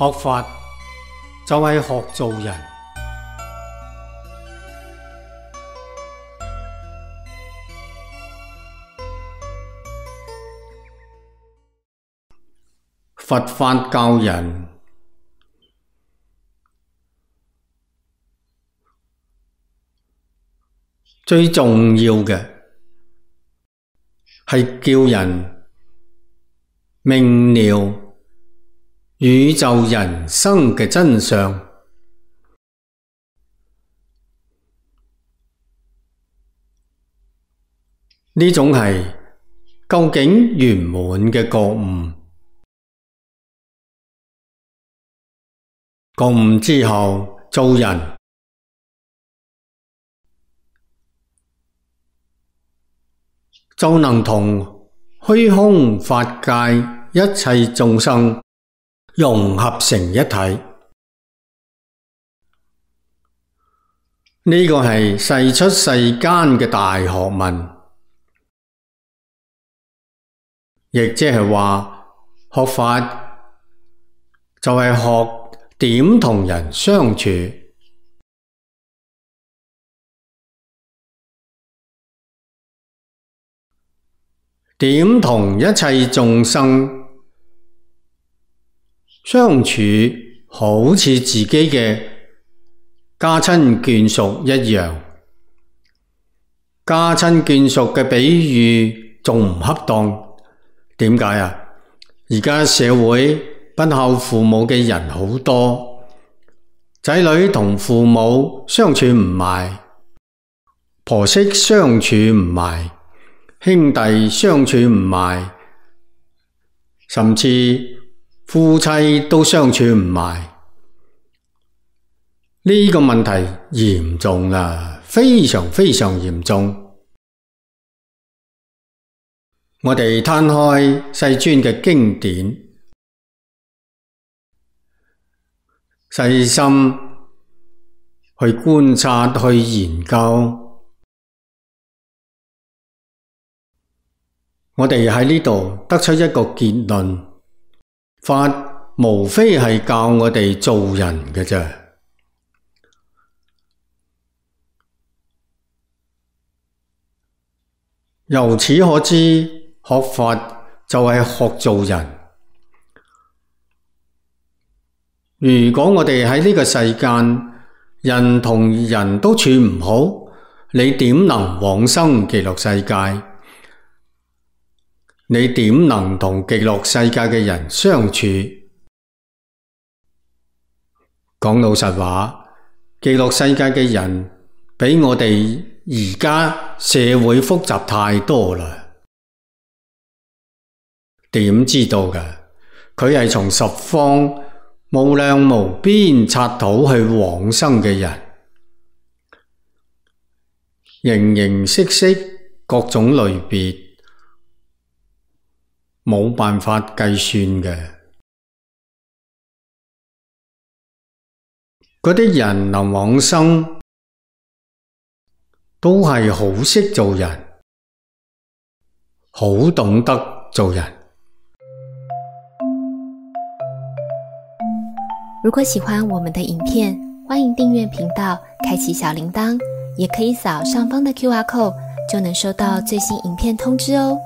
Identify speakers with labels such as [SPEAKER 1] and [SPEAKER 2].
[SPEAKER 1] 學法就係學做人。佛法教人最重要嘅係叫人明了宇宙人生嘅真相。呢種係究竟圓滿嘅覺悟。覺悟之後，做人就能同虛空法界一切眾生融合成一體。呢個係世出世間嘅大學問，亦即係話學法就係學點同人相處，點同一切眾生相處，好似自己嘅家親眷屬一樣。家親眷屬嘅比喻仲唔恰當？點解啊？而家社會不孝父母嘅人好多，仔女同父母相處唔埋，婆媳相處唔埋，兄弟相處唔埋，甚至夫妻都相處唔埋。呢個問題嚴重啦，非常非常嚴重。我哋攤開世尊嘅經典，細心去觀察、去研究，我哋喺呢度得出一個結論：法無非係教我哋做人嘅啫。由此可知，學法就係學做人。如果我哋喺呢個世間，人同人都處唔好，你點能往生極樂世界？你點能同極樂世界嘅人相處？講老實話，極樂世界嘅人比我哋而家社會複雜太多啦。點知道㗎？佢係從十方無量無邊剎土去往生嘅人，形形色色各種類別，冇辦法計算嘅。嗰啲人能往生，都係好識做人，好懂得做人。
[SPEAKER 2] 如果喜歡我們的影片，歡迎訂閱頻道，開啟小鈴鐺，也可以掃上方的QR code，就能收到最新影片通知哦。